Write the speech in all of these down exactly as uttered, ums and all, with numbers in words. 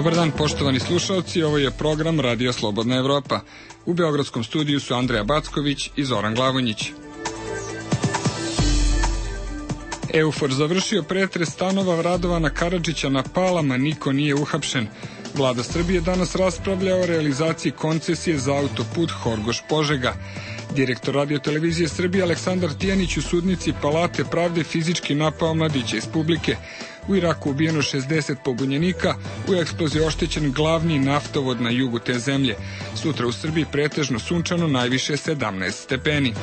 Dobar dan, poštovani slušalci, ovo je program Radio Slobodna Evropa. U beogradskom studiju su Andreja Backović i Zoran Glavonjić. Eufor završio pretres stanova Radovana Karadžića na Palama, niko nije uhapšen. Vlada Srbije danas raspravlja o realizaciji koncesije za autoput Horgoš-Požega. Direktor Radio-televizije Srbije Aleksandar Tijanić u sudnici Palate pravde fizički napao mladića iz publike. U Iraku ubijeno šezdeset pobunjenika, u eksploziji oštećen glavni naftovod na jugu te zemlje. Sutra u Srbiji pretežno sunčano, najviše sedamnaest stepeni.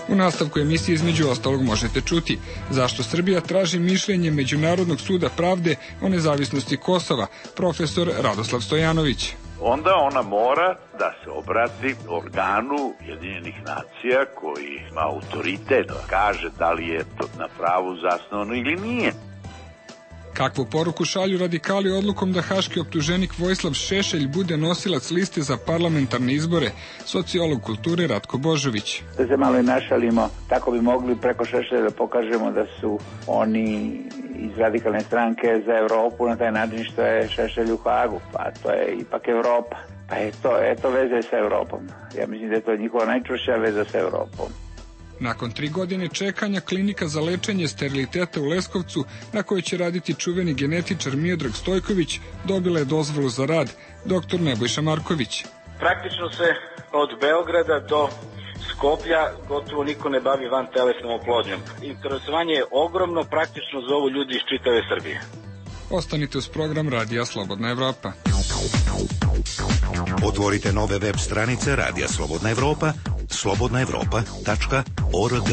U nastavku emisije između ostalog možete čuti zašto Srbija traži mišljenje Međunarodnog suda pravde o nezavisnosti Kosova, profesor Radoslav Stojanović. Onda ona mora da se obrati organu Ujedinjenih nacija koji ima autoritet, da kaže da li je to na pravu zasnovano ili nije. Kakvu poruku šalju radikali odlukom da haški optuženik Vojislav Šešelj bude nosilac liste za parlamentarne izbore, sociolog kulture Ratko Božović. Da se malo i našalimo, tako bi mogli preko Šešelja da pokažemo da su oni iz radikalne stranke za Evropu na taj način što je Šešelj u Hagu, pa to je ipak Evropa. Pa je to, eto veze sa Evropom. Ja mislim da je to njihova najčvršća veza sa Evropom. Nakon tri godine čekanja, klinika za lečenje steriliteta u Leskovcu, na kojoj će raditi čuveni genetičar Miodrag Stojković, dobila je dozvolu za rad, doktor Nebojša Marković. Praktično se od Beograda do Skoplja gotovo niko ne bavi van telesnom oplodnjom. Interesovanje je ogromno, praktično zovu ljudi iz čitave Srbije. Ostanite uz program Radija Slobodna Evropa. Otvorite nove web stranice Radija Slobodna Evropa, slobodna evropa tačka org.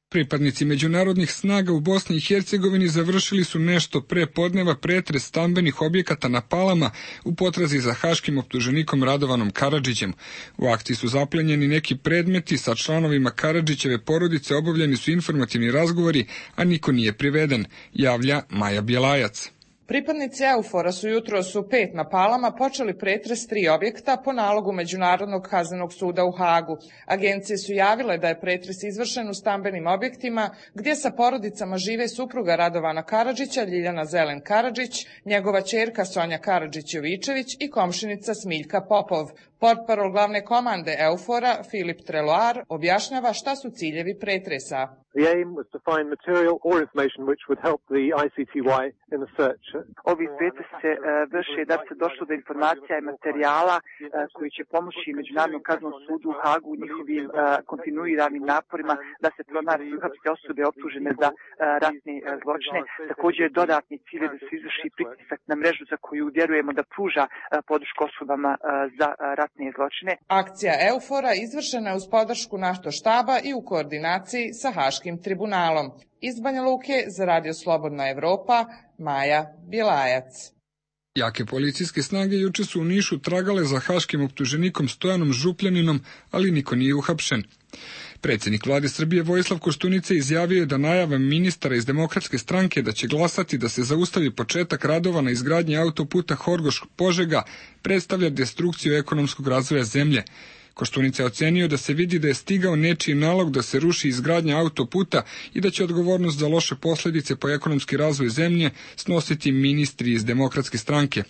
Pripadnici međunarodnih snaga u Bosni i Hercegovini završili su nešto pre podneva pretres stambenih objekata na Palama u potrazi za haškim optuženikom Radovanom Karadžićem. U akciji su zaplenjeni neki predmeti, sa članovima Karadžićeve porodice obavljeni su informativni razgovori, a niko nije priveden, javlja Maja Bjelajac. Pripadnici Eufora su jutros u pet na Palama počeli pretres tri objekta po nalogu Međunarodnog kaznenog suda u Hagu. Agencije su javile da je pretres izvršen u stambenim objektima gdje sa porodicama žive supruga Radovana Karadžića, Ljiljana Zelen Karadžić, njegova ćerka Sonja Karadžić-Jovičević i komšinica Smiljka Popov. Portparol glavne komande Eufora, Filip Treloar, objašnjava šta su ciljevi pretresa. The aim was to find material or information which would help the I C T Y in the search. Ovi pretresi se uh, vrše da se došlo do informacija i materijala uh, koji će pomoći Međunarodnom kaznenom sudu u Hagu u njihovim uh, kontinuiranim naporima da se pronađu i uhapse osobe optužene za uh, ratne uh, zločine. Također je dodatni cilj da se izvrši pritisak na mrežu za koju vjerujemo da pruža uh, podršku osobama uh, za uh, ratne zločine. Akcija Eufora izvršena je uz podršku NATO štaba i u koordinaciji sa Haškim tribunalom. Iz Banja Luke za Radio Slobodna Evropa, Maja Bjelajac. Jake policijske snage juče su u Nišu tragale za haškim optuženikom Stojanom Župljaninom, ali niko nije uhapšen. Predsjednik vlade Srbije Vojislav Koštunica izjavio je da najava ministara iz Demokratske stranke da će glasati da se zaustavi početak radova na izgradnji autoputa Horgoš-Požega predstavlja destrukciju ekonomskog razvoja zemlje. Koštunica je ocenio da se vidi da je stigao nečiji nalog da se ruši izgradnja autoputa i da će odgovornost za loše posljedice po ekonomski razvoj zemlje snositi ministri iz Demokratske stranke.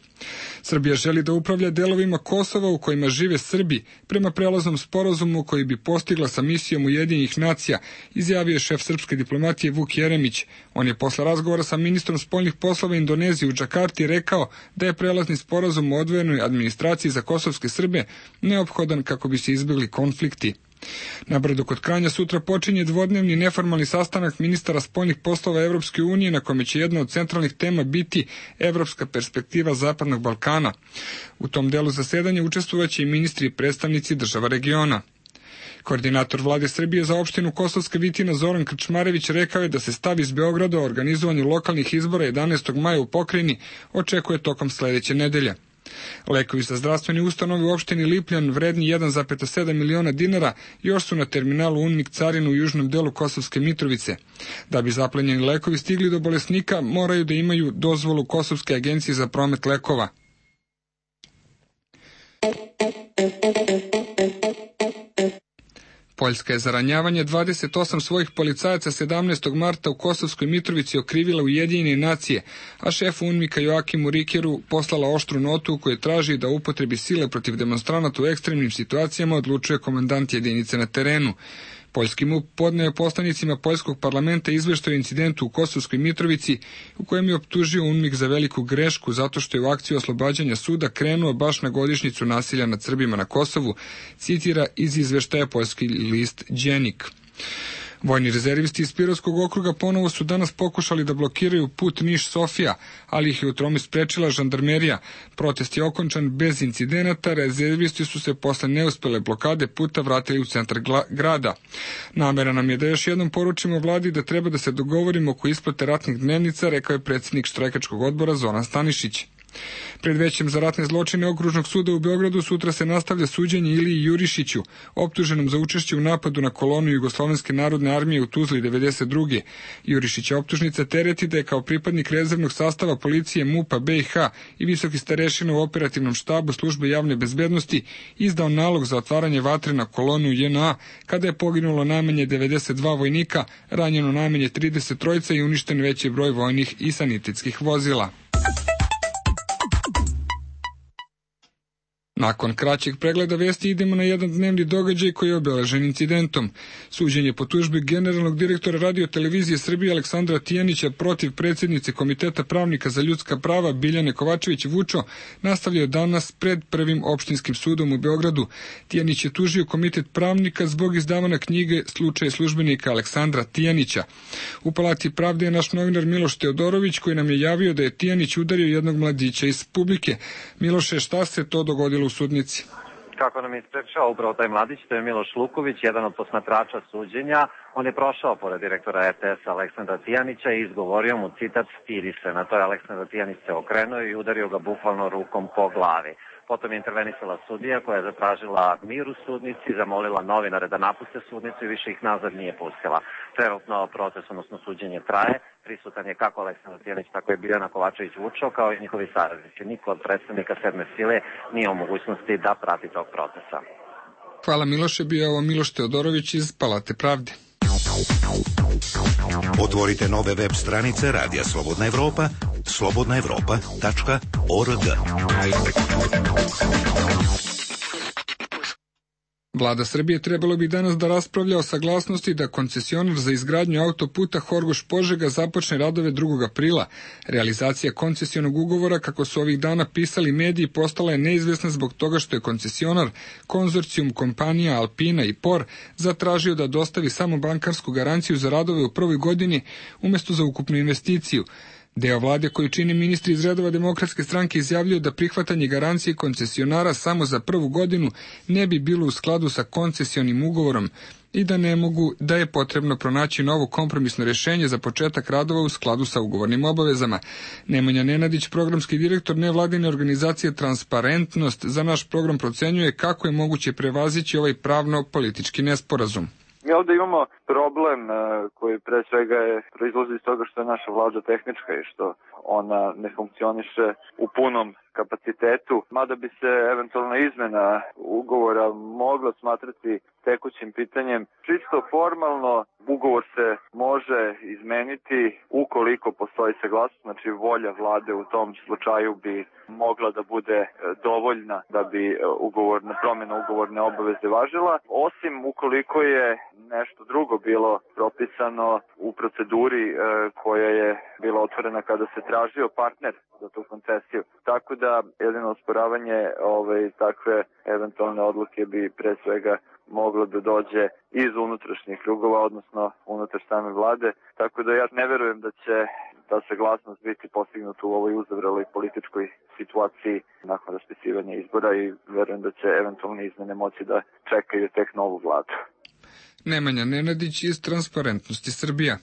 Srbija želi da upravlja delovima Kosova u kojima žive Srbi prema prelaznom sporazumu koji bi postigla sa misijom Ujedinjenih nacija, izjavio je šef srpske diplomatije Vuk Jeremić. On je posle razgovora sa ministrom spoljnih poslova Indonezije u Džakarti rekao da je prelazni sporazum o odvojenoj administraciji za kosovske Srbe neophodan kako bi se izbjegli konflikti. Na Brdu kod Kranja sutra počinje dvodnevni neformalni sastanak ministara spoljnih poslova Evropske unije na kome će jedna od centralnih tema biti evropska perspektiva Zapadnog Balkana. U tom delu zasedanja učestvovaće i ministri i predstavnici država regiona. Koordinator vlade Srbije za opštinu Kosovska Vitina Zoran Krčmarević rekao je da se stav iz Beograda o organizovanju lokalnih izbora jedanaestog maja u pokrajini očekuje tokom sledeće nedelje. Lekovi za zdravstvene ustanove u opštini Lipljan vredni jedan zarez sedam miliona dinara još su na terminalu Unmik carinu u južnom delu Kosovske Mitrovice. Da bi zaplenjeni lekovi stigli do bolesnika, moraju da imaju dozvolu Kosovske agencije za promet lekova. Poljska je za ranjavanje dvadeset osam svojih policajaca sedamnaestog marta u Kosovskoj Mitrovici okrivila Ujedinjene nacije, a šef UNMIK-a Joakimu Rikeru poslala oštru notu u kojoj traži da upotrebi sile protiv demonstranata u ekstremnim situacijama odlučuje komandant jedinice na terenu. Poljski MUP podneo je poslanicima Poljskog parlamenta izveštaj o incidentu u Kosovskoj Mitrovici u kojem je optužio UNMIK za veliku grešku zato što je u akciju oslobađanja suda krenuo baš na godišnjicu nasilja nad Srbima na Kosovu, citira iz izveštaja poljski list Dženik. Vojni rezervisti iz Pirotskog okruga ponovo su danas pokušali da blokiraju put Niš-Sofija, ali ih je u tome sprečila žandarmerija. Protest je okončan bez incidenata, rezervisti su se posle neuspele blokade puta vratili u centar grada. Namera nam je da još jednom poručimo vladi da treba da se dogovorimo oko isplate ratnih dnevnica, rekao je predsjednik štrajkačkog odbora Zoran Stanišić. Pred većem za ratne zločine Okružnog suda u Beogradu sutra se nastavlja suđenje Iliji Jurišiću, optuženom za učešće u napadu na kolonu Jugoslovenske narodne armije u Tuzli devedeset druge. Jurišića optužnica tereti da je kao pripadnik rezervnog sastava policije MUP-a B i H i visoki starešina u operativnom štabu službe javne bezbednosti izdao nalog za otvaranje vatre na kolonu J N A kada je poginulo najmanje devedeset dva vojnika, ranjeno najmanje trideset trojica i uništen veći broj vojnih i sanitetskih vozila. Nakon kraćeg pregleda vesti idemo na jedan dnevni događaj koji je obeležen incidentom. Suđenje po tužbi generalnog direktora Radio-televizije Srbije Aleksandra Tijanića protiv predsjednice Komiteta pravnika za ljudska prava Biljane Kovačević-Vučo nastavljaju danas pred Prvim opštinskim sudom u Beogradu. Tijanić je tužio Komitet pravnika zbog izdavanja knjige Slučaj službenika Aleksandra Tijanića. U Palati pravde je naš novinar Miloš Teodorović koji nam je javio da je Tijanić udario jednog mladića iz publike. Miloše, šta se to dogodilo u sudnici? Kako nam je ispričao upravo taj mladić, to je Miloš Luković, jedan od posmatrača suđenja. On je prošao pored direktora R T S-a Aleksandra Tijanića i izgovorio mu citat "stidi se". Na to je Aleksandar Tijanić se okrenuo i udario ga bukvalno rukom po glavi. Potom je intervenisala sudija koja je zatražila mir u sudnici, zamolila novinare da napuste sudnicu i više ih nazad nije pustila. Trenutno proces, odnosno suđenje traje. Prisutan je kako Aleksandar Tijanić, tako je Biljana Kovačević-Vučo, kao i njihovi saradnici. Niko od predstavnika sedme sile nije u mogućnosti da prati tog procesa. Hvala Miloše, bio je ovo Miloš Teodorović iz Palate pravde. Otvorite nove web stranice Radija Slobodna Evropa, slobodna evropa tačka org. Vlada Srbije trebalo bi danas da raspravlja o saglasnosti da koncesionar za izgradnju autoputa Horgoš-Požega započne radove drugog aprila. Realizacija koncesionog ugovora, kako su ovih dana pisali mediji, postala je neizvesna zbog toga što je koncesionar, konzorcijum kompanija Alpina i Por, zatražio da dostavi samo bankarsku garanciju za radove u prvoj godini umjesto za ukupnu investiciju. Deo vlade koji čini ministri iz redova Demokratske stranke izjavljaju da prihvatanje garancije koncesionara samo za prvu godinu ne bi bilo u skladu sa koncesionim ugovorom i da ne mogu, da je potrebno pronaći novo kompromisno rješenje za početak radova u skladu sa ugovornim obavezama. Nemanja Nenadić, programski direktor nevladine organizacije Transparentnost, za naš program procenjuje kako je moguće prevazići ovaj pravno-politički nesporazum. Mi ovdje imamo problem koji pre svega je proizlazi iz toga što je naša vlada tehnička i što ona ne funkcioniše u punom kapacitetu, mada bi se eventualna izmena ugovora mogla smatrati tekućim pitanjem. Čisto formalno ugovor se može izmeniti ukoliko postoji saglasnost, znači volja vlade u tom slučaju bi mogla da bude dovoljna da bi ugovorna promjena ugovorne obaveze važila, osim ukoliko je nešto drugo bilo propisano u proceduri koja je bila otvorena kada se tražio partner za tu koncesiju. Tako da jedino osporavanje ove takve eventualne odluke bi pre svega moglo da dođe iz unutrašnjih krugova, odnosno unutar same vlade. Tako da ja ne verujem da će ta saglasnost biti postignuta u ovoj uzavreloj političkoj situaciji nakon raspisivanja izbora i verujem da će eventualne izmene moći da čekaju tek novu vladu. Nemanja Nenadić iz Transparentnosti Srbija.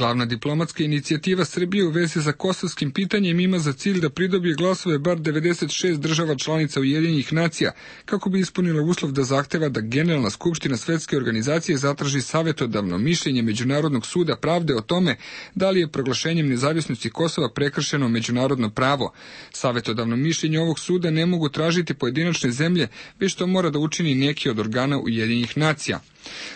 Glavna diplomatska inicijativa Srbije u vezi sa kosovskim pitanjem ima za cilj da pridobije glasove bar devedeset šest država članica Ujedinjenih nacija, kako bi ispunila uslov da zahteva da Generalna skupština Svetske organizacije zatraži savjetodavno mišljenje Međunarodnog suda pravde o tome da li je proglašenjem nezavisnosti Kosova prekršeno međunarodno pravo. Savjetodavno mišljenje ovog suda ne mogu tražiti pojedinačne zemlje, već to mora da učini neki od organa Ujedinjenih nacija.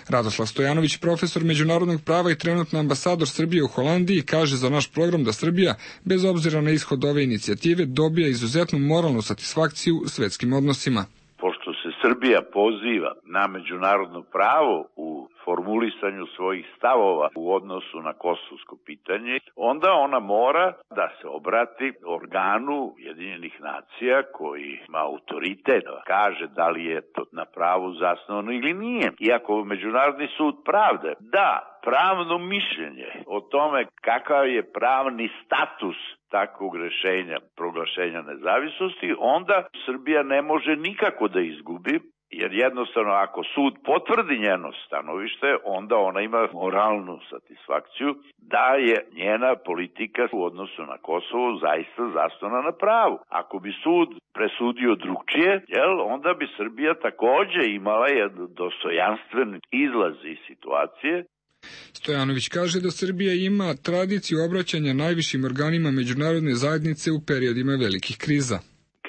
Radoslav Stojanović, profesor međunarodnog prava i trenutno ambasador Srbije u Holandiji, kaže za naš program da Srbija, bez obzira na ishod ove inicijative, dobija izuzetnu moralnu satisfakciju u svetskim odnosima. Pošto se Srbija poziva na međunarodno pravo u formulisanju svojih stavova u odnosu na kosovsko pitanje, onda ona mora da se obrati organu Ujedinjenih nacija koji ima autoritet, da kaže da li je to na pravu zasnovano ili nije. Iako Međunarodni sud pravde da pravno mišljenje o tome kakav je pravni status takvog rešenja, proglašenja nezavisnosti, onda Srbija ne može nikako da izgubi, jer jednostavno ako sud potvrdi njeno stanovište, onda ona ima moralnu satisfakciju da je njena politika u odnosu na Kosovo zaista zasnovana na pravu. Ako bi sud presudio drugčije, jel, onda bi Srbija takođe imala jedan dostojanstven izlaz iz situacije. Stojanović kaže da Srbija ima tradiciju obraćanja najvišim organima međunarodne zajednice u periodima velikih kriza.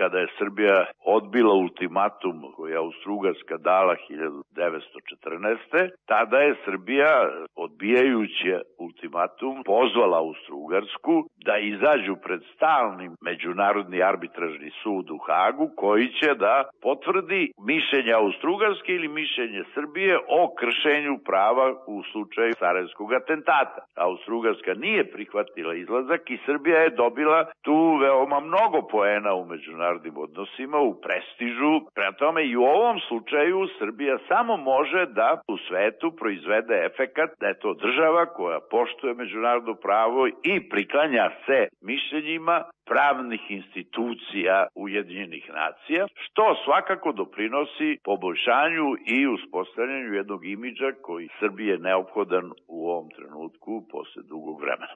Kada je Srbija odbila ultimatum koji je Austro-Ugarska dala hiljadu devetsto četrnaeste. tada je Srbija, odbijajući ultimatum, pozvala Austro-Ugarsku da izađu pred stalni međunarodni arbitražni sud u Hagu, koji će da potvrdi mišljenje Austro-Ugarske ili mišljenje Srbije o kršenju prava u slučaju Sarajevskog atentata. Austro-Ugarska nije prihvatila izlazak i Srbija je dobila tu veoma mnogo poena u međunarodnim odnosima, u prestižu. Prema tome i u ovom slučaju Srbija samo može da u svetu proizvede efekat da je to država koja poštuje međunarodno pravo i priklanja se mišljenjima pravnih institucija Ujedinjenih nacija, što svakako doprinosi poboljšanju i uspostavljanju jednog imidža koji Srbiji je neophodan u ovom trenutku posle dugog vremena.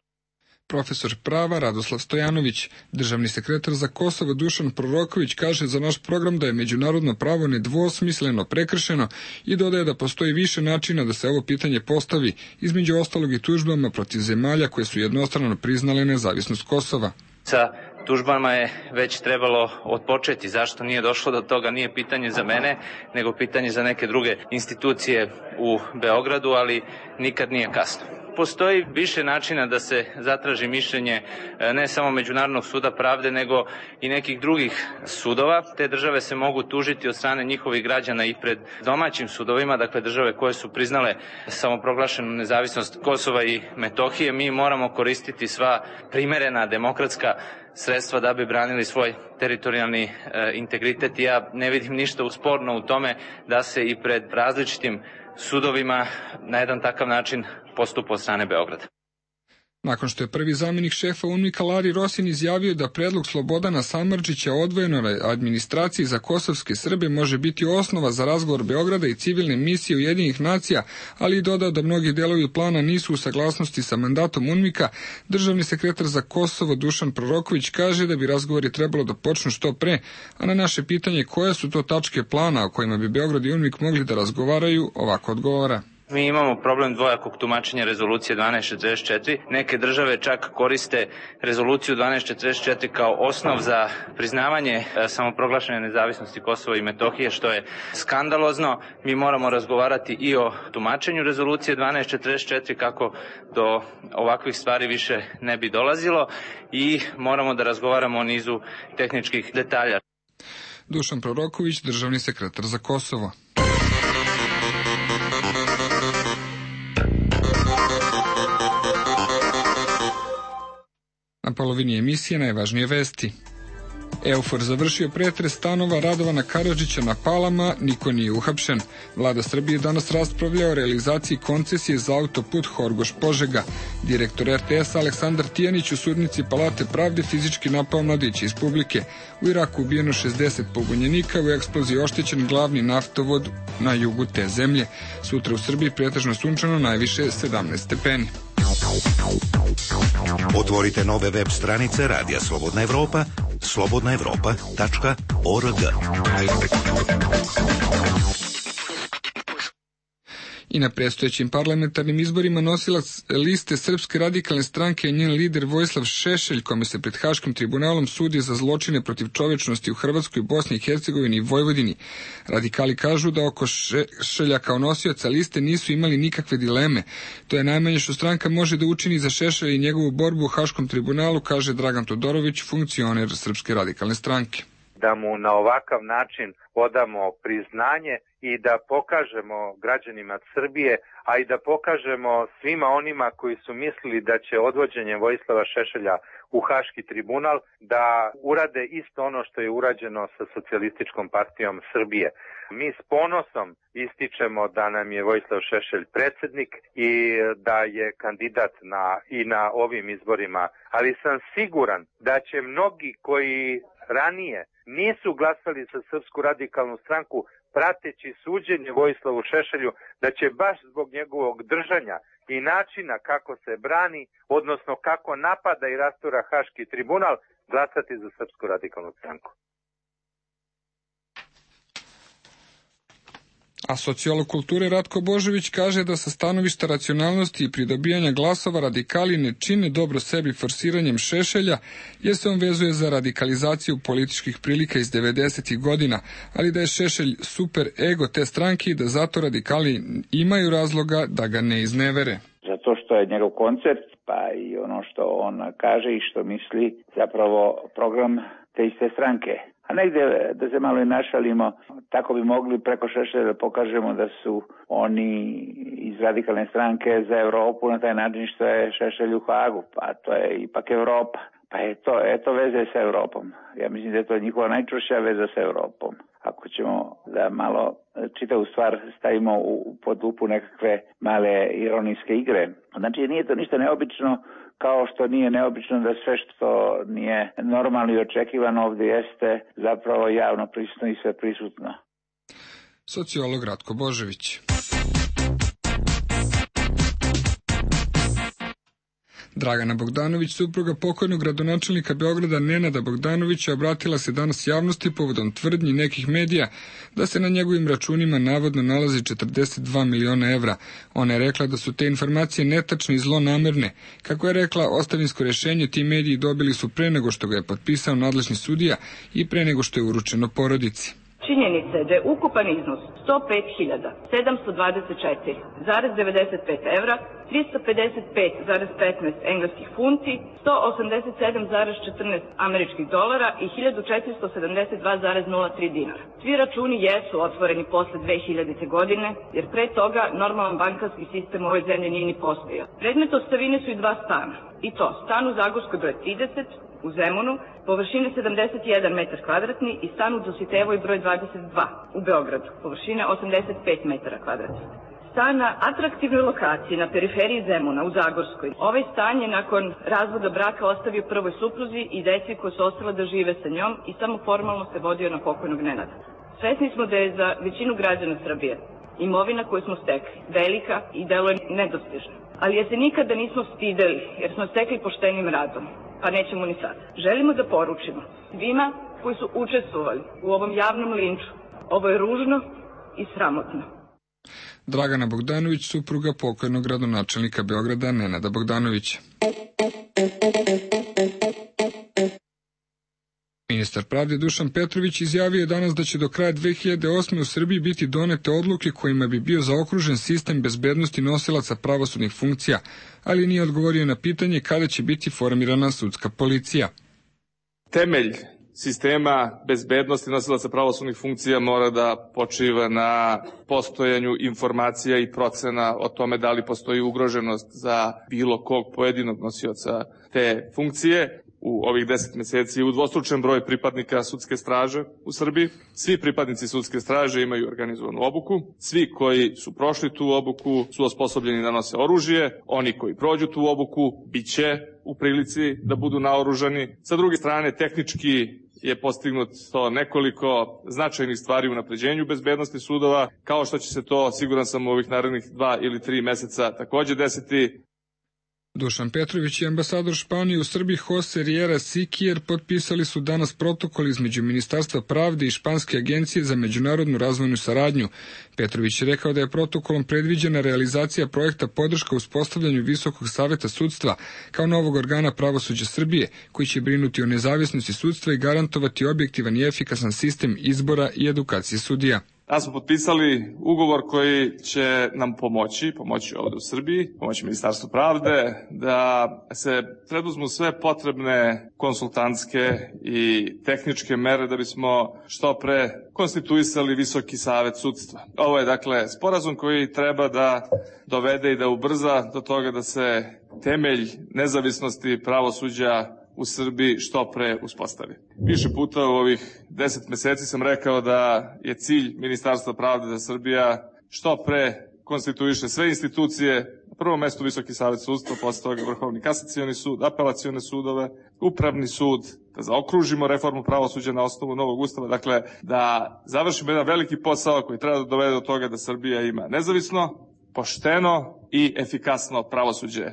Profesor prava Radoslav Stojanović, državni sekretar za Kosovo Dušan Proroković kaže za naš program da je međunarodno pravo nedvosmisleno prekršeno i dodaje da postoji više načina da se ovo pitanje postavi, između ostalog i tužbama protiv zemalja koje su jednostrano priznale nezavisnost Kosova. Sa tužbama je već trebalo odpočeti. Zašto nije došlo do toga nije pitanje za mene, nego pitanje za neke druge institucije u Beogradu, ali nikad nije kasno. Postoji više načina da se zatraži mišljenje ne samo Međunarodnog suda pravde, nego i nekih drugih sudova. Te države se mogu tužiti od strane njihovih građana i pred domaćim sudovima, dakle države koje su priznale samoproglašenu nezavisnost Kosova i Metohije. Mi moramo koristiti sva primerena demokratska sredstva da bi branili svoj teritorijalni e, integritet i ja ne vidim ništa usporno u tome da se i pred različitim sudovima na jedan takav način postupa od strane Beograda. Nakon što je prvi zamjenik šefa UNMIK-a Lari Rosin izjavio da predlog Slobodana Samardžića o odvojenoj administraciji za kosovske Srbe može biti osnova za razgovor Beograda i civilne misije Ujedinjenih nacija, ali i dodao da mnogi delovi plana nisu u saglasnosti sa mandatom UNMIK-a, državni sekretar za Kosovo Dušan Proroković kaže da bi razgovori trebalo da počnu što pre, a na naše pitanje koje su to tačke plana o kojima bi Beograd i UNMIK mogli da razgovaraju, ovako odgovara. Mi imamo problem dvojakog tumačenja rezolucije dvanaest četrdeset četiri. Neke države čak koriste rezoluciju dvanaest četrdeset četiri kao osnov za priznavanje samoproglašene nezavisnosti Kosova i Metohije, što je skandalozno. Mi moramo razgovarati i o tumačenju rezolucije dvanaest četrdeset četiri kako do ovakvih stvari više ne bi dolazilo i moramo da razgovaramo o nizu tehničkih detalja. Dušan Proroković, državni sekretar za Kosovo. Na polovini emisije najvažnije vesti. Eufor završio pretres stanova Radovana Karadžića na Palama, niko nije uhapšen. Vlada Srbije danas raspravlja o realizaciji koncesije za autoput Horgoš-Požega. Direktor er te es Aleksandar Tijanić u sudnici Palate pravde fizički napao mladića iz publike. U Iraku ubijeno šezdeset pobunjenika, u eksploziji oštećen glavni naftovod na jugu te zemlje. Sutra u Srbiji pretežno sunčano, najviše sedamnaest stepeni. Otvorite nove web stranice Radija Slobodna Evropa, slobodna evropa tačka org. I na predstojećim parlamentarnim izborima nosilac liste Srpske radikalne stranke je njen lider Vojislav Šešelj, kome se pred Haškim tribunalom sudi za zločine protiv čovečnosti u Hrvatskoj, Bosni i Hercegovini i Vojvodini. Radikali kažu da oko Šešelja kao nosioca liste nisu imali nikakve dileme. To je najmanje što stranka može da učini za Šešelja i njegovu borbu u Haškom tribunalu, kaže Dragan Todorović, funkcioner Srpske radikalne stranke. Da mu na ovakav način odamo priznanje i da pokažemo građanima Srbije, a i da pokažemo svima onima koji su mislili da će odvođenjem Vojislava Šešelja u Haški tribunal da urade isto ono što je urađeno sa Socijalističkom partijom Srbije. Mi s ponosom ističemo da nam je Vojislav Šešelj predsjednik i da je kandidat na, i na ovim izborima, ali sam siguran da će mnogi koji ranije nisu glasali za Srpsku radikalnu stranku prateći suđenje Vojislavu Šešelju, da će baš zbog njegovog držanja i načina kako se brani, odnosno kako napada i rastura Haški tribunal, glasati za Srpsku radikalnu stranku. A sociolog kulture Ratko Božović kaže da sa stanovišta racionalnosti i pridobijanja glasova radikali ne čine dobro sebi forsiranjem Šešelja, jer se on vezuje za radikalizaciju političkih prilika iz devedesetih godina, ali da je Šešelj super ego te stranke i da zato radikali imaju razloga da ga ne iznevere. Zato što je njegov koncept, pa i ono što on kaže i što misli, zapravo program te iste stranke. A negdje, da se malo i našalimo, tako bi mogli preko Šešelja da pokažemo da su oni iz radikalne stranke za Europu na taj način što je Šešelj u Hagu, pa to je ipak Europa. Pa je to, eto veze sa Europom. Ja mislim da je to njihova najčvršća veza sa Europom. Ako ćemo da malo čitavu stvar stavimo u, pod lupu nekakve male ironijske igre. Znači nije to ništa neobično, kao što nije neobično da sve što nije normalno i očekivano ovdje jeste zapravo javno prisutno i sve prisutno. Sociolog Ratko Božović. Dragana Bogdanović, supruga pokojnog gradonačelnika Beograda Nenada Bogdanovića, obratila se danas javnosti povodom tvrdnji nekih medija da se na njegovim računima navodno nalazi četrdeset dva miliona evra. Ona je rekla da su te informacije netačne i zlonamerne. Kako je rekla, ostavinsko rješenje ti mediji dobili su pre nego što ga je potpisao nadležni sudija i pre nego što je uručeno porodici. Činjenica je da je ukupan iznos sto pet hiljada sedamsto dvadeset četiri zarez devedeset pet evra, tristo pedeset pet zarez petnaest engleskih funti, sto osamdeset sedam zarez četrnaest američkih dolara i hiljadu četiristo sedamdeset dva zarez nula tri dinara. Svi računi jesu otvoreni posle dve hiljadite. godine, jer pre toga normalan bankarski sistem u ovoj zemlji nije ni postojao. Predmet ostavine su i dva stana. I to, stan u Zagorskoj broj trideset, u Zemunu, površine sedamdeset jedan metar kvadratni i stan u Dositevoj broj dvadeset dva u Beogradu, površine osamdeset pet metara kvadratnih. Stan na atraktivnoj lokaciji na periferiji Zemuna u Zagorskoj. Ovaj stan je nakon razvoda braka ostavio prvoj supruzi i deci koji su ostala da žive sa njom i samo formalno se vodio na pokojnog Nenada. Svesni smo da je za većinu građana Srbije imovina koju smo stekli velika i deluje nedostižna. Ali je se nikada nismo stideli jer smo stekli poštenim radom. Pa nećemo ni sad. Želimo da poručimo svima koji su učestvovali u ovom javnom linču. Ovo je ružno i sramotno. Dragana Bogdanović, supruga pokojnog gradonačelnika Beograda Nenada Bogdanovića. Ministar pravde Dušan Petrović izjavio je danas da će do kraja dve hiljade osme. u Srbiji biti donete odluke kojima bi bio zaokružen sistem bezbednosti nosilaca pravosudnih funkcija, ali nije odgovorio na pitanje kada će biti formirana sudska policija. Temelj sistema bezbednosti nosilaca pravosudnih funkcija mora da počiva na postojanju informacija i procena o tome da li postoji ugroženost za bilo kog pojedinog nosioca te funkcije. U ovih deset meseci je udvostručen broj pripadnika sudske straže u Srbiji. Svi pripadnici sudske straže imaju organizovanu obuku. Svi koji su prošli tu obuku su osposobljeni da nose oružje. Oni koji prođu tu obuku biće u prilici da budu naoružani. Sa druge strane, tehnički je postignut to nekoliko značajnih stvari u unapređenju bezbednosti sudova, kao što će se to, siguran sam, u ovih narednih dva ili tri meseca takođe desiti. Dušan Petrović i ambasador Španije u Srbiji Jose Riera Siquier potpisali su danas protokol između Ministarstva pravde i Španske agencije za međunarodnu razvojnu saradnju. Petrović je rekao da je protokolom predviđena realizacija projekta podrška uspostavljanju Visokog saveta sudstva kao novog organa pravosuđa Srbije, koji će brinuti o nezavisnosti sudstva i garantovati objektivan i efikasan sistem izbora i edukacije sudija. Danas smo potpisali ugovor koji će nam pomoći, pomoći ovde u Srbiji, pomoći Ministarstvu pravde, da se preduzmu sve potrebne konsultantske i tehničke mere da bismo što pre konstituisali Visoki savet sudstva. Ovo je dakle sporazum koji treba da dovede i da ubrza do toga da se temelj nezavisnosti pravosuđa u Srbiji što pre uspostavi. Više puta u ovih deset meseci sam rekao da je cilj Ministarstva pravde da Srbija što pre konstituiše sve institucije, na prvom mestu Visoki savet sudstva, posle toga Vrhovni kasacioni sud, apelacione sudove, Upravni sud, da zaokružimo reformu pravosuđa na osnovu novog ustava, dakle da završimo jedan veliki posao koji treba da dovede do toga da Srbija ima nezavisno, pošteno i efikasno pravosuđe.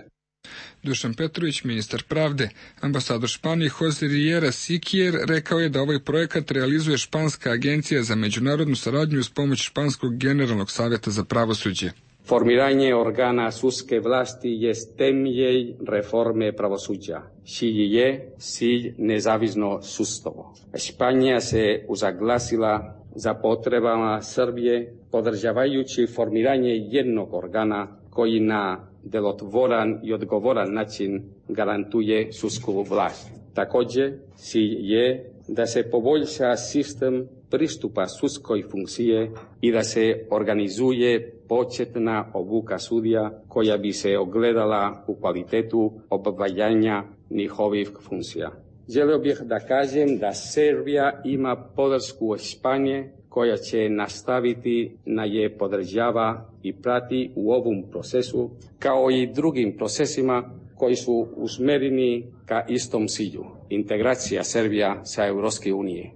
Dušan Petrović, ministar pravde. Ambasador Španije Jose Riera Siquier rekao je da ovaj projekat realizuje Španska agencija za međunarodnu saradnju uz pomoć Španskog generalnog savjeta za pravosuđe. Formiranje organa sudske vlasti jest temelj reforme pravosuđa, čiji je cilj nezavisno sudstvo. Španija se uzaglasila za potrebama Srbije, podržavajući formiranje jednog organa koji na delotvoran i odgovoran način garantuje sudsku vlast. Također, cilj je da se poboljša sistem pristupa sudskoj funkcije i da se organizuje početna obuka sudija koja bi se ogledala u kvalitetu obavljanja njihovih funkcija. Želio bih da kažem da Srbija ima podršku Španije koja će nastaviti na je podržava i prati u ovom procesu, kao i drugim procesima koji su usmereni ka istom cilju, integracija Srbija sa Europske unije.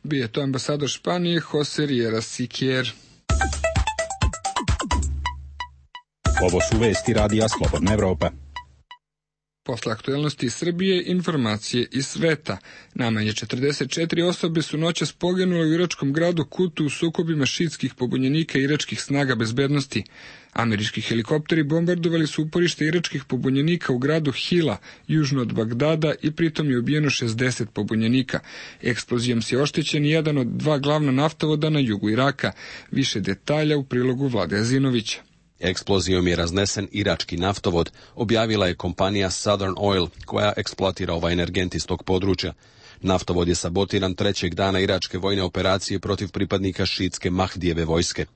Bio je to ambasador Španije Jose Riera Siquier. Ovo su vesti Radija Slobodna Evropa. Posle aktuelnosti iz Srbije, informacije iz sveta. Najmanje četrdeset četiri osobe su noćas poginule u iračkom gradu Kutu u sukobima šiitskih pobunjenika i iračkih snaga bezbednosti. Američki helikopteri bombardovali su uporište iračkih pobunjenika u gradu Hila, južno od Bagdada, i pritom je ubijeno šezdeset pobunjenika. Eksplozijom se oštećen jedan od dva glavna naftovoda na jugu Iraka. Više detalja u prilogu Vlade Azinovića. Eksplozijom je raznesen irački naftovod, objavila je kompanija Southern Oil, koja eksploatira ovaj energent iz tog područja. Naftovod je sabotiran trećeg dana iračke vojne operacije protiv pripadnika šiitske Mahdijeve vojske.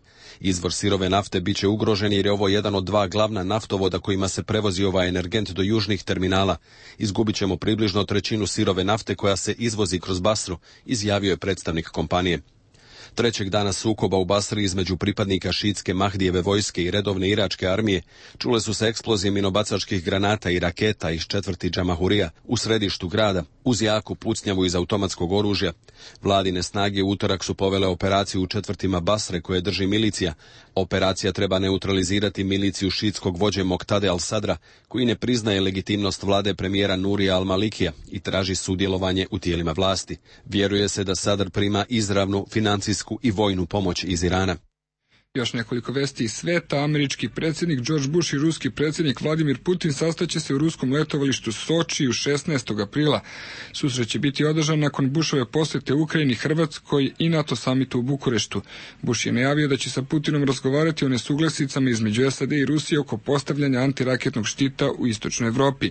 Izvor sirove nafte biće ugrožen jer je ovo jedan od dva glavna naftovoda kojima se prevozi ovaj energent do južnih terminala. Izgubit ćemo približno trećinu sirove nafte koja se izvozi kroz Basru, izjavio je predstavnik kompanije. Trećeg dana sukoba u Basri između pripadnika šiitske Mahdijeve vojske i redovne iračke armije čule su se eksplozije minobacačkih granata i raketa iz četvrti Džamahurija u središtu grada, uz jaku pucnjavu iz automatskog oružja. Vladine snage u utorak su povele operaciju u četvrtima Basre koje drži milicija. Operacija treba neutralizirati miliciju šiitskog vođe Moktade al-Sadra, koji ne priznaje legitimnost vlade premijera Nurija al-Malikija i traži sudjelovanje u tijelima vlasti. Vjeruje se da Sadr prima izravnu financijsku i vojnu pomoć iz Irana. Još nekoliko vesti iz sveta. Američki predsjednik George Bush i ruski predsjednik Vladimir Putin sastaće se u ruskom letovalištu Sočiju šesnaestog aprila. Susret će biti održan nakon Bushove posjete Ukrajini, Hrvatskoj i NATO samitu u Bukureštu. Bush je najavio da će sa Putinom razgovarati o nesuglasicama između S A D i Rusije oko postavljanja antiraketnog štita u istočnoj Evropi.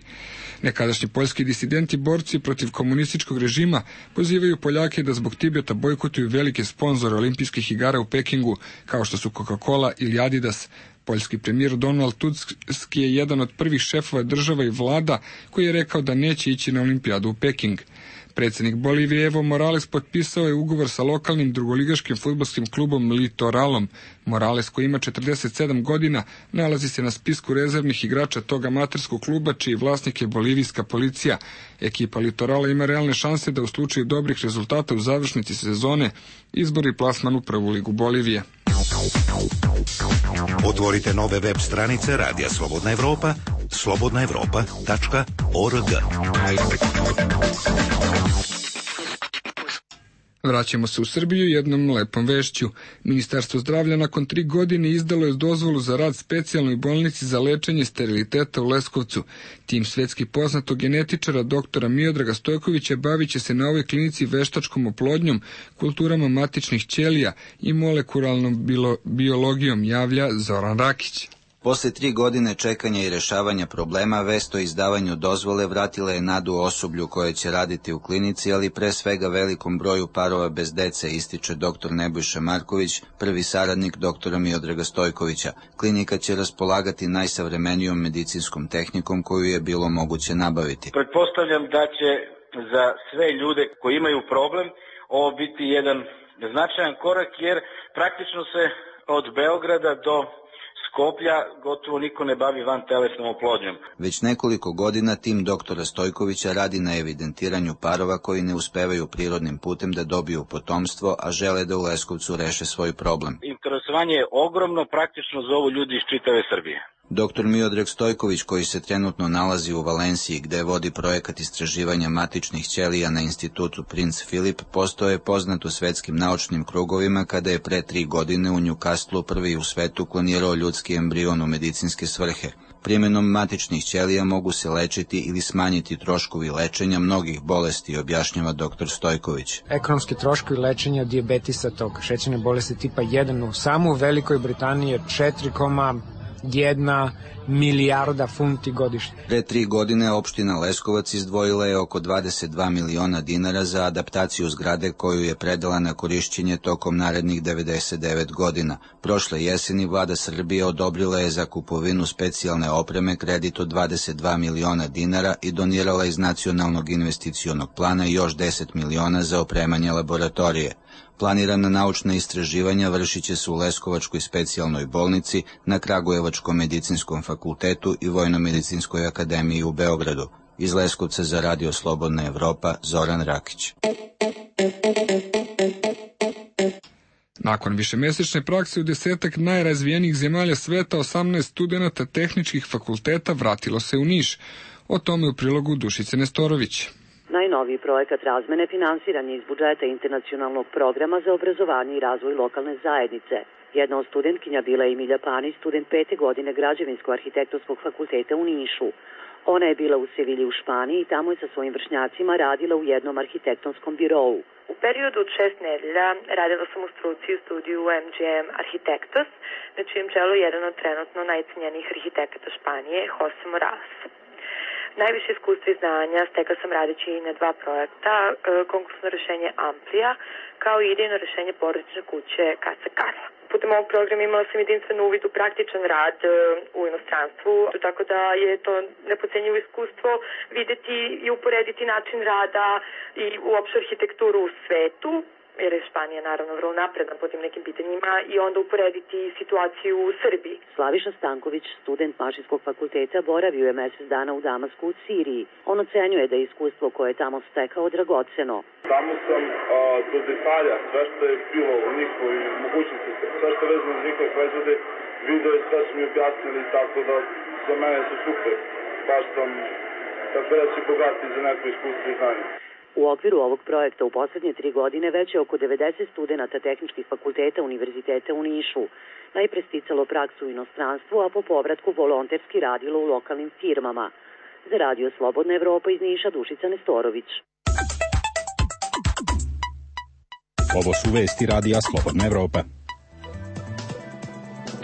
Nekadašnji poljski disidenti, borci protiv komunističkog režima, pozivaju Poljake da zbog Tibeta bojkotuju velike sponzore olimpijskih igara u Pekingu, kao što su Coca-Cola ili Adidas. Poljski premijer Donald Tusk je jedan od prvih šefova država i vlada koji je rekao da neće ići na olimpijadu u Peking. Predsjednik Bolivije Evo Morales potpisao je ugovor sa lokalnim drugoligaškim fudbalskim klubom Litoralom. Morales, koji ima četrdeset sedam godina, nalazi se na spisku rezervnih igrača tog amaterskog kluba, čiji vlasnik je bolivijska policija. Ekipa Litorala ima realne šanse da u slučaju dobrih rezultata u završnici sezone izbori plasman u prvu ligu Bolivije. Otvorite nove web stranice Radija Slobodna Evropa slobodna evropa tačka org. Vraćamo se u Srbiju jednom lepom vešću. Ministarstvo zdravlja nakon tri godine izdalo je dozvolu za rad specijalnoj bolnici za lečenje steriliteta u Leskovcu. Tim svetski poznatog genetičara doktora Miodraga Stojkovića bavit će se na ovoj klinici veštačkom oplodnjom, kulturama matičnih ćelija i molekularnom biologijom, javlja Zoran Rakić. Posle tri godine čekanja i rešavanja problema, vest o izdavanju dozvole vratila je nadu osoblju koje će raditi u klinici, ali pre svega velikom broju parova bez dece, ističe doktor Nebojša Marković, prvi saradnik doktora Miodraga Stojkovića. Klinika će raspolagati najsavremenijom medicinskom tehnikom koju je bilo moguće nabaviti. Pretpostavljam da će za sve ljude koji imaju problem ovo biti jedan značajan korak, jer praktično se od Beograda do Skoplja gotovo niko ne bavi vantelesnom oplodnjom. Već nekoliko godina tim doktora Stojkovića radi na evidentiranju parova koji ne uspevaju prirodnim putem da dobiju potomstvo, a žele da u Leskovcu reše svoj problem. Interesovanje je ogromno, praktično zovu ljudi iz čitave Srbije. Doktor Miodrag Stojković, koji se trenutno nalazi u Valenciji, gde vodi projekat istraživanja matičnih ćelija na institutu Princ Filip, postao je poznat u svetskim naučnim krugovima kada je pre tri godine u Newcastlu prvi u svetu klonirao ljudski embrion u medicinske svrhe. Primjenom matičnih ćelija mogu se lečiti ili smanjiti troškovi lečenja mnogih bolesti, objašnjava doktor Stojković. Ekonomski troškovi lečenja dijabetisa, tog šećerne bolesti tipa jedan u samo u Velikoj Britaniji je četiri zarez jedna milijarda funti godišnje. Pre tri godine opština Leskovac izdvojila je oko dvadeset dva miliona dinara za adaptaciju zgrade koju je predala na korišćenje tokom narednih devedeset devet godina. Prošle jeseni vlada Srbije odobrila je za kupovinu specijalne opreme kredit od dvadeset dva miliona dinara i donirala iz nacionalnog investicionog plana još deset miliona za opremanje laboratorije. Planirana naučna istraživanja vršit će se u Leskovačkoj specijalnoj bolnici, na Kragujevačkom medicinskom fakultetu i Vojno-medicinskoj akademiji u Beogradu. Iz Leskovca za Radio Slobodna Evropa, Zoran Rakić. Nakon višemesečne prakse u desetak najrazvijenijih zemalja sveta, osamnaest studenata tehničkih fakulteta vratilo se u Niš. O tome u prilogu Dušice Nestorović. Najnoviji projekat razmene finansiran je iz budžeta internacionalnog programa za obrazovanje i razvoj lokalne zajednice. Jedna od studentkinja bila je Emilija Pani, student pete godine Građevinsko-arhitektonskog fakulteta u Nišu. Ona je bila u Sevilji u Španiji i tamo je sa svojim vršnjacima radila u jednom arhitektonskom birovu. U periodu od šest nedelja radila sam u struci u studiju M G M Arhitektos, na čijem čelu je jedan od trenutno najcenjenijih arhitekata Španije, Jose Morales. Najviše iskustva i znanja stekla sam radeći na dva projekta, konkursno rešenje Amplija, kao i idejno rešenje porodične kuće Casa Carla. Putem ovog programa imala sam jedinstven uvid u praktičan rad u inostranstvu, tako da je to nepocenjivo iskustvo videti i uporediti način rada i uopšte arhitekturu u svetu, jer je Španija naravno vrlo napredna po tim nekim pitanjima, i onda uporediti situaciju u Srbiji. Slaviša Stanković, student Mašinskog fakulteta, boravio je mesec dana u Damasku u Siriji. On ocenjuje da je iskustvo koje je tamo stekao dragoceno. Tamo sam a, do detalja, sve što je bilo u njihovoj mogućnosti, sve što je vezano za njihove proizvode, video i sve su mi objasnili, tako da za mene su super. Baš sam, tako da si bogati za neko iskustvo i znanje. U okviru ovog projekta u poslednje tri godine već je oko devedeset studenata tehničkih fakulteta Univerziteta u Nišu najpre sticalo praksu u inostranstvu, a po povratku volonterski radilo u lokalnim firmama. Za Radio Slobodna Evropa iz Niša, Dušica Nestorović. Ovo su vesti Radija Slobodna Evropa.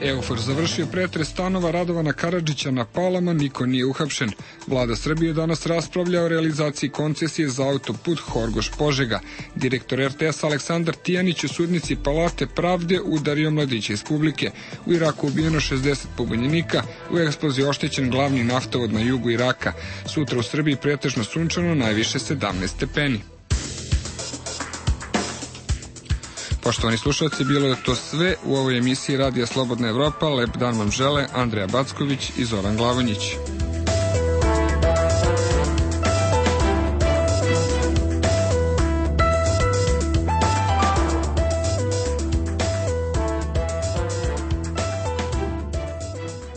Eufor završio pretres stanova Radovana Karadžića na Palama, niko nije uhapšen. Vlada Srbije danas raspravlja o realizaciji koncesije za autoput Horgoš-Požega. Direktor R T S Aleksandar Tijanić u sudnici Palate pravde udario mladića iz publike. U Iraku ubijeno šezdeset pobunjenika, u eksploziji oštećen glavni naftovod na jugu Iraka. Sutra u Srbiji pretežno sunčano, najviše sedamnaest stepeni. Poštovani slušalci, bilo je to sve u ovoj emisiji Radija Slobodna Evropa. Lep dan vam žele Andreja Backović i Zoran Glavonjić.